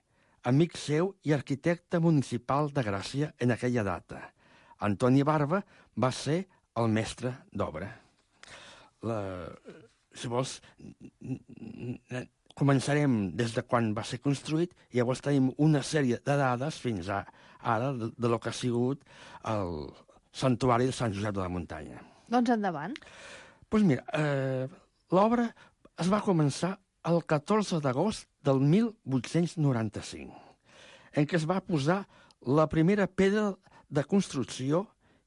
amic seu i arquitecte municipal de Gràcia en aquella data. Antoni Barba va ser el mestre d'obra. La... Si vols, començarem des de quan va ser construït i llavors tenim una sèrie de dades fins a ara de, de lo que ha sigut el santuari de Sant Josep de la Muntanya. Doncs endavant. Doncs pues mira, eh, l'obra es va començar el catorze d'agost del mil vuit-cents noranta-cinc, en què es va posar la primera pedra de construcció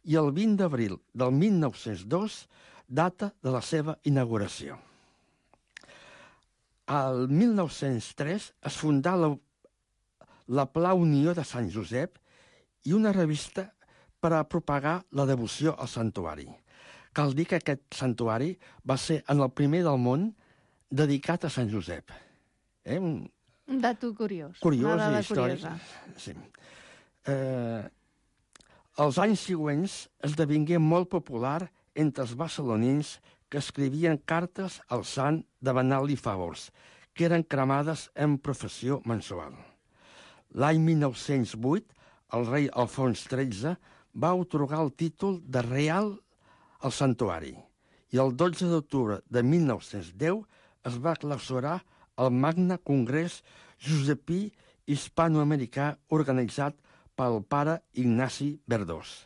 i el vint d'abril del mil nou-cents dos, data de la seva inauguració. Al mil nou-cents tres es fundà la, la Pla Unió de Sant Josep i una revista per a propagar la devoció al santuari. Cal dir que aquest santuari va ser en el primer del món dedicat a Sant Josep. Eh? Un... Un dato curiós. Curiós una dada i històric. curiosa. Sí. Eh, els anys següents esdevingué molt popular entre els barcelonins que escrivien cartes al sant demanant-li favors, que eren cremades en professió mensual. L'any mil nou-cents vuit, el rei Alfons tretze va atorgar el títol de Real al santuari i el dotze d'octubre de mil nou-cents deu es va clausurar el Magne Congrés Josepí Hispanoamericà organitzat pel pare Ignasi Verdós.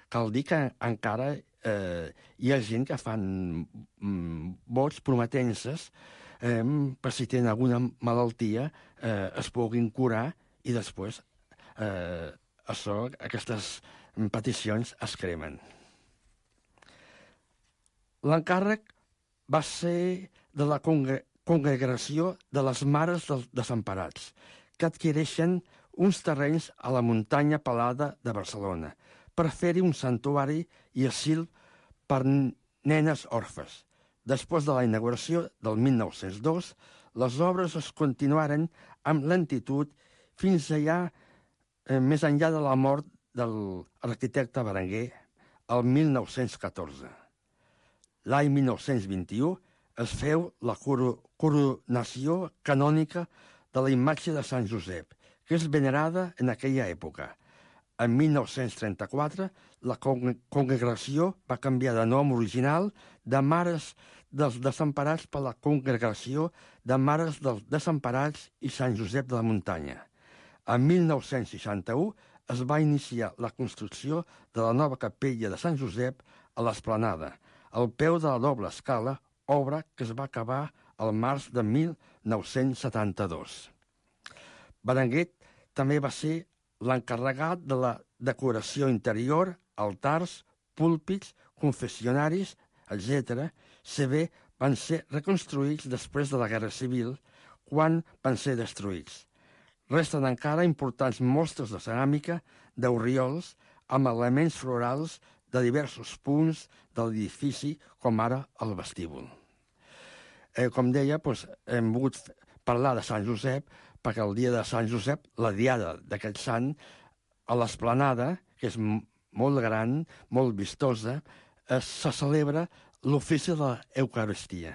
Cal dir que encara eh, hi ha gent que fan mm, vots prometences eh, per si tenen alguna malaltia eh, es puguin curar i després eh, això, aquestes peticions es cremen. L'encàrrec va ser de la congre Congregació de les Mares dels Desemparats, que adquireixen uns terrenys a la muntanya pelada de Barcelona per fer-hi un santuari i asil per nenes orfes. Després de la inauguració del mil nou-cents dos, les obres es continuaren amb lentitud fins allà, eh, més enllà de la mort de l'arquitecte Berenguer el mil nou-cents catorze. L'any mil nou-cents vint-i-u es feu la coronació canònica de la imatge de Sant Josep, que és venerada en aquella època. En mil nou-cents trenta-quatre, la congregació va canviar de nom original de Mares dels Desemparats per la Congregació de Mares dels Desemparats i Sant Josep de la Muntanya. En mil nou-cents seixanta-u es va iniciar la construcció de la nova capella de Sant Josep a l'Esplanada, al peu de la doble escala, obra que es va acabar al març de mil nou-cents setanta-dos. Berenguer també va ser l'encarregat de la decoració interior, altars, púlpits, confessionaris, etcètera, si bé van ser reconstruïts després de la Guerra Civil, quan van ser destruïts. Resten encara importants mostres de ceràmica, d'orriols, amb elements florals de diversos punts de l'edifici, com ara el vestíbul. Eh, com deia, doncs, hem volgut parlar de Sant Josep, perquè el dia de Sant Josep, la diada d'aquest sant, a l'Esplanada, que és molt gran, molt vistosa, eh, se celebra l'ofici de l'Eucaristia,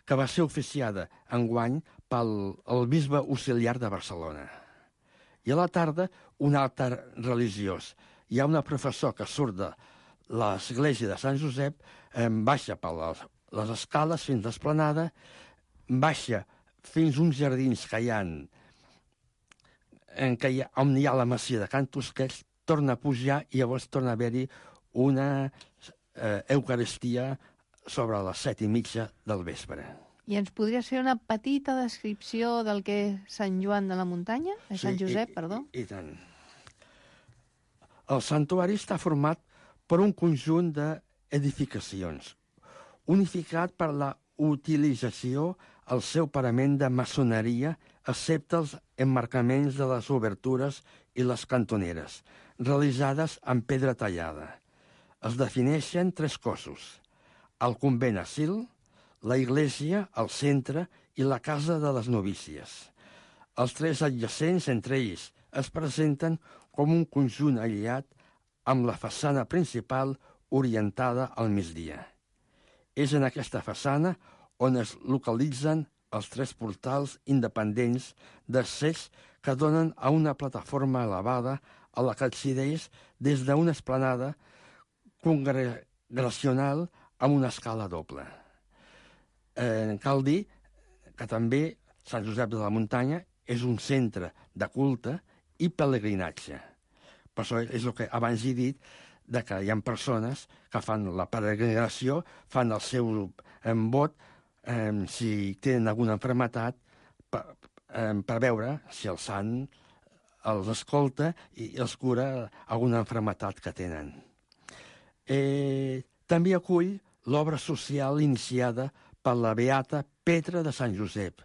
que va ser oficiada enguany pel el bisbe auxiliar de Barcelona. I a la tarda, un altar religiós. Hi ha una professor que surt de l'església de Sant Josep, eh, baixa per les, les escales fins a l'Esplanada, baixa fins uns jardins que hi ha, en què hi ha, on hi ha la masia de Can Tusquets, torna a pujar i llavors torna a haver-hi una eh, Eucaristia sobre les set i mitja del vespre. I ens podries fer una petita descripció del que és Sant Joan de la Muntanya? Sí, Sant Josep, i, perdó. I, i tant. El santuari està format per un conjunt d'edificacions, unificat per la utilització al seu parament de maçoneria, excepte els emmarcaments de les obertures i les cantoneres, realitzades amb pedra tallada. Es defineixen tres cossos: el convent asil, la iglesia al centre i la casa de les novícies. Els tres adjacents entre ells es presenten com un conjunt aïllat amb la façana principal orientada al migdia. És en aquesta façana on es localitzen els tres portals independents d'accés que donen a una plataforma elevada a la que accedeix des d'una esplanada congregacional amb una escala doble. Eh, cal dir que també Sant Josep de la Muntanya és un centre de culte i pelegrinatge. Per això és el que abans he dit, de que hi ha persones que fan la peregrinació, fan el seu eh, vot, eh, si tenen alguna malaltia, per, eh, per veure si el sant els escolta i els cura alguna malaltia que tenen. Eh, també acull l'obra social iniciada per la beata Petra de Sant Josep.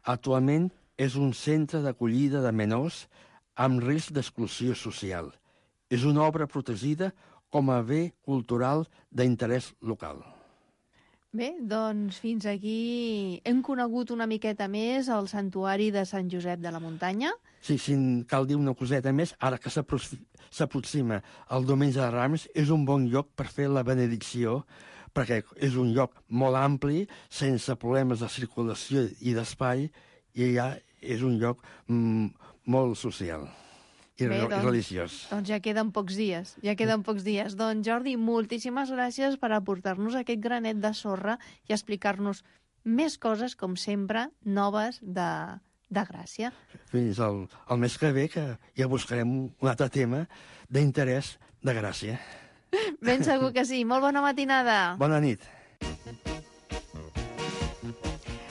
Actualment és un centre d'acollida de menors amb risc d'exclusió social. És una obra protegida com a bé cultural d'interès local. Bé, doncs fins aquí hem conegut una miqueta més el santuari de Sant Josep de la Muntanya. Sí, sí, cal dir una coseta més. Ara que s'aproxima el diumenge de Rams, és un bon lloc per fer la benedicció, perquè és un lloc molt ampli, sense problemes de circulació i d'espai, i ja és un lloc mm, molt social. I Bé, doncs, religiós. Doncs ja queden pocs dies, ja queden pocs dies. Doncs Jordi, moltíssimes gràcies per aportar-nos aquest granet de sorra i explicar-nos més coses, com sempre, noves de, de Gràcia. Fins al, al mes que ve, que ja buscarem un altre tema d'interès de Gràcia. Ben segur que sí. Molt bona matinada. Bona nit.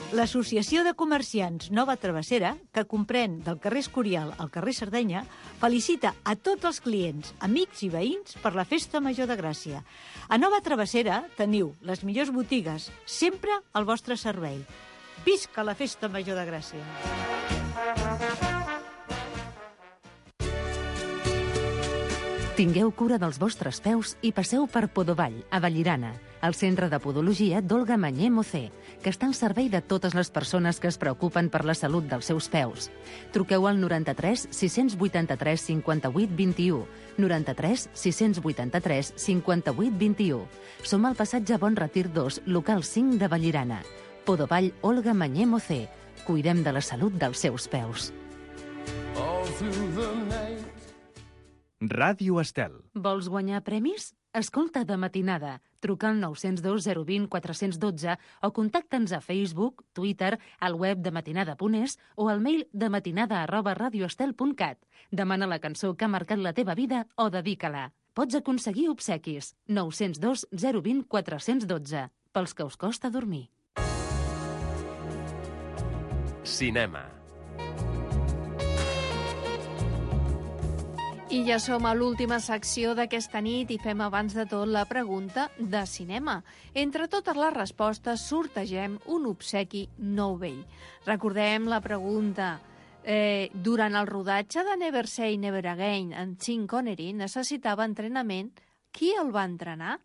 L'Associació de Comerciants Nova Travessera, que comprèn del carrer Escorial al carrer Sardenya, felicita a tots els clients, amics i veïns per la Festa Major de Gràcia. A Nova Travessera teniu les millors botigues, sempre al vostre servei. Visca la Festa Major de Gràcia! Tingueu cura dels vostres peus i passeu per Podovall, a Vallirana, el centre de podologia d'Olga Mañé Mocé, que està al servei de totes les persones que es preocupen per la salut dels seus peus. Truqueu al noranta-tres sis vuitanta-tres cinquanta-vuit vint-i-u, noranta-tres sis vuitanta-tres cinquanta-vuit vint-i-u. Som al passatge Bon Retir dos, local cinc de Vallirana. Podovall Olga Mañé Mocé. Cuidem de la salut dels seus peus. Ràdio Estel. Vols guanyar premis? Escolta de matinada. Truca al nou zero dos zero dos zero quatre un dos o contacta'ns a Facebook, Twitter, al web de matinada punt es o al mail de matinada arroba radioestel punt cat. Demana la cançó que ha marcat la teva vida o dedica-la. Pots aconseguir obsequis. nou zero dos zero dos zero quatre un dos. Pels que us costa dormir. Cinema. I ja som a l'última secció d'aquesta nit i fem abans de tot la pregunta de cinema. Entre totes les respostes sortegem un obsequi nou vell. Recordem la pregunta. Eh, durant el rodatge de Never Say Never Again en Sean Connery necessitava entrenament. Qui el va entrenar?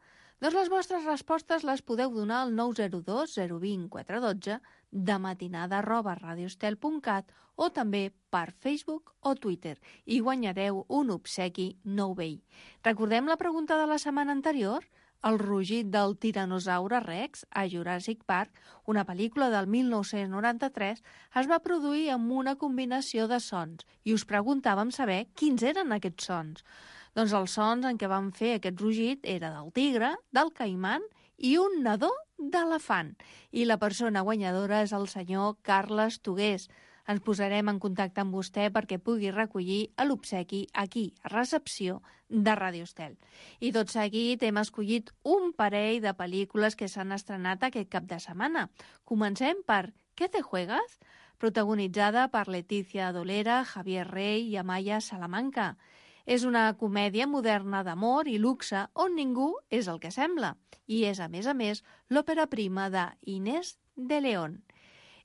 Doncs les vostres respostes les podeu donar al nou zero dos zero dos zero quatre un dos de matinada arroba radioestel punt cat o també per Facebook o Twitter i guanyareu un obsequi nou vell. Recordem la pregunta de la setmana anterior? El rugit del tiranosaure Rex a Jurassic Park, una pel·lícula del mil nou-cents noranta-tres, es va produir amb una combinació de sons i us preguntàvem saber quins eren aquests sons. Doncs els sons en què van fer aquest rugit era del tigre, del caiman i un nadó d'elefant. I la persona guanyadora és el senyor Carles Tugués. Ens posarem en contacte amb vostè perquè pugui recollir l'obsequi aquí, a recepció de Ràdio Estel. I tot seguit hem escollit un parell de pel·lícules que s'han estrenat aquest cap de setmana. Comencem per ¿Qué te juegas?, protagonitzada per Leticia Dolera, Javier Rey i Amaya Salamanca. És una comèdia moderna d'amor i luxe on ningú és el que sembla. I és, a més a més, l'òpera prima de Inés de León.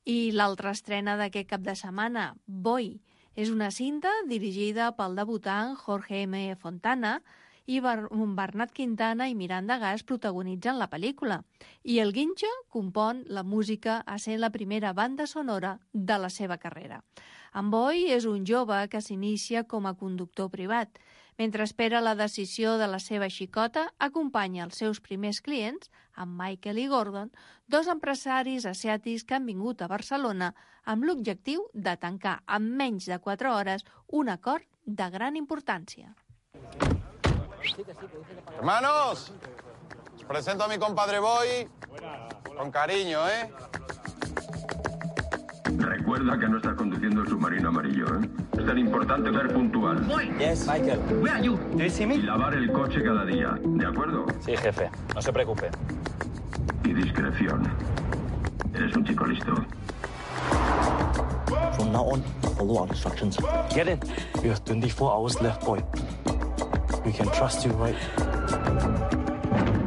I l'altra estrena d'aquest cap de setmana, Boy, és una cinta dirigida pel debutant Jorge M. Fontana i Bernat Quintana i Miranda Gas protagonitzen la pel·lícula. I el Guincho compon la música a ser la primera banda sonora de la seva carrera. En Boy és un jove que s'inicia com a conductor privat. Mentre espera la decisió de la seva xicota, acompanya els seus primers clients, amb Michael i Gordon, dos empresaris asiàtics que han vingut a Barcelona amb l'objectiu de tancar en menys de quatre hores un acord de gran importància. Hermanos, os presento a mi compadre Boy con cariño, ¿eh? Recuerda que no estás conduciendo el submarino amarillo, ¿eh? Es tan importante ser puntual. Yes, Michael. Where are you? Do you see me? Y lavar el coche cada día, ¿de acuerdo? Sí, jefe. No se preocupe. Y discreción. Eres un chico listo. From now on, follow our instructions. Get in. You have twenty-four hours left, boy. We can trust you, right?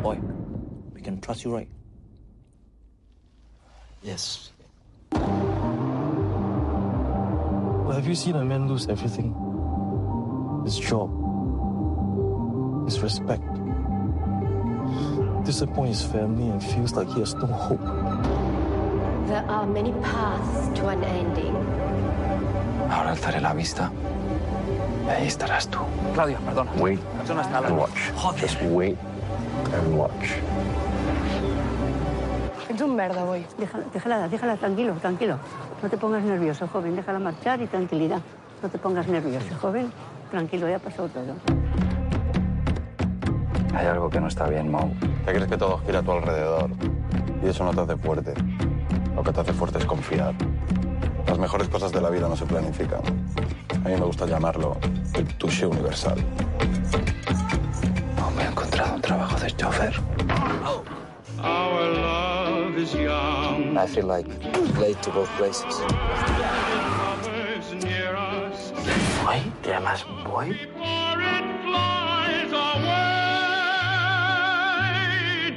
Boy, we can trust you, right? Yes. Well, have you seen a man lose everything? His job, his respect, disappoint his family and feels like he has no hope. There are many paths to an ending. Ahora alzaré la vista y ahí estarás tú. Claudio, perdona. Wait Eso no está and watch. Joder. Just wait and watch. Ets un merda, Boy. Déjala, déjala, déjala, tranquilo, tranquilo. No te pongas nervioso, joven. Déjala marchar y tranquilidad. No te pongas nervioso, joven. Tranquilo, ya ha pasado todo. Hay algo que no está bien, Mau. Te crees que todo gira a tu alrededor y eso no te hace fuerte. Lo que te hace fuerte es confiar. Las mejores cosas de la vida no se planifican. A mí me gusta llamarlo el touché universal. Aún me he encontrado un trabajo de chofer. Our love is young. I feel like late to both places. ¿Boy? ¿Te llamas Boy?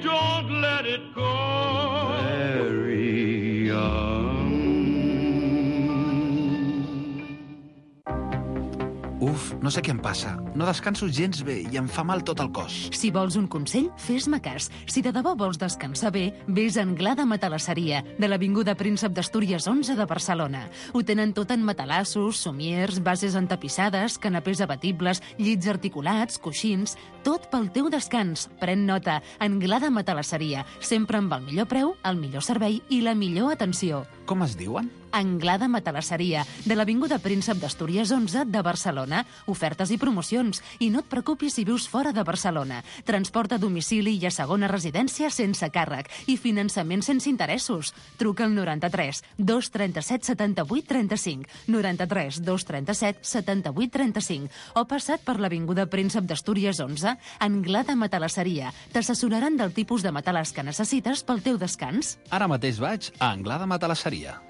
Don't let it go. Very young. Uf, no sé què em passa. No descanso gens bé i em fa mal tot el cos. Si vols un consell, fes-me cas. Si de debò vols descansar bé, vés a Anglada Matalasseria, de l'Avinguda Príncep d'Astúries onze de Barcelona. Ho tenen tot en matalassos, somiers, bases entapissades, canapés abatibles, llits articulats, coixins... Tot pel teu descans. Pren nota. Anglada Matalasseria. Sempre amb el millor preu, el millor servei i la millor atenció. Com es diuen? Anglada Matalasseria, de l'Avinguda Príncep d'Astúries onze de Barcelona. Ofertes i promocions. I no et preocupis si vius fora de Barcelona. Transport a domicili i a segona residència sense càrrec. I finançament sense interessos. Truca al noranta-tres dos trenta-set setanta-vuit trenta-cinc, noranta-tres dos trenta-set setanta-vuit trenta-cinc o passat per l'Avinguda Príncep d'Astúries onze, Anglada Matalasseria. T'assessoraran del tipus de matalàs que necessites pel teu descans. Ara mateix vaig a Anglada Matalasseria.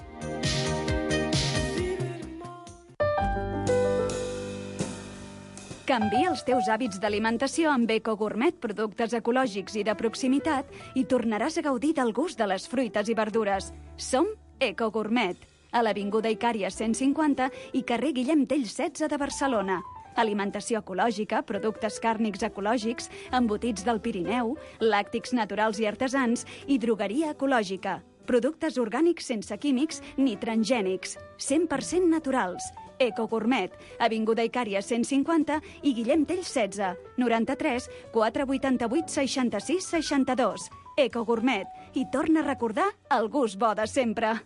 Canvia els teus hàbits d'alimentació amb Eco Gourmet, productes ecològics i de proximitat, i tornaràs a gaudir del gust de les fruites i verdures. Som Eco Gourmet, a l'Avinguda Icària cent cinquanta i carrer Guillem Tell setze de Barcelona. Alimentació ecològica, productes càrnics ecològics, embotits del Pirineu, làctics naturals i artesans i drogueria ecològica. Productes orgànics sense químics ni transgènics, cent per cent naturals. Eco Gourmet, Avinguda Icària cent cinquanta i Guillem Tell setze, noranta-tres quatre vuitanta-vuit seixanta-sis seixanta-dos. Eco Gourmet, i torna a recordar el gust bo de sempre.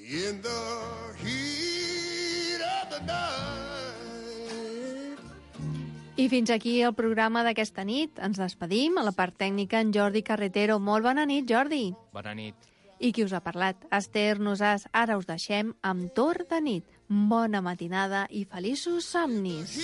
In the heat of the night. I fins aquí el programa d'aquesta nit. Ens despedim. A la part tècnica, en Jordi Carretero. Molt bona nit, Jordi. Bona nit. I qui us ha parlat? Esther Nosàs. Ara us deixem amb Torn de nit. Bona matinada i feliços somnis.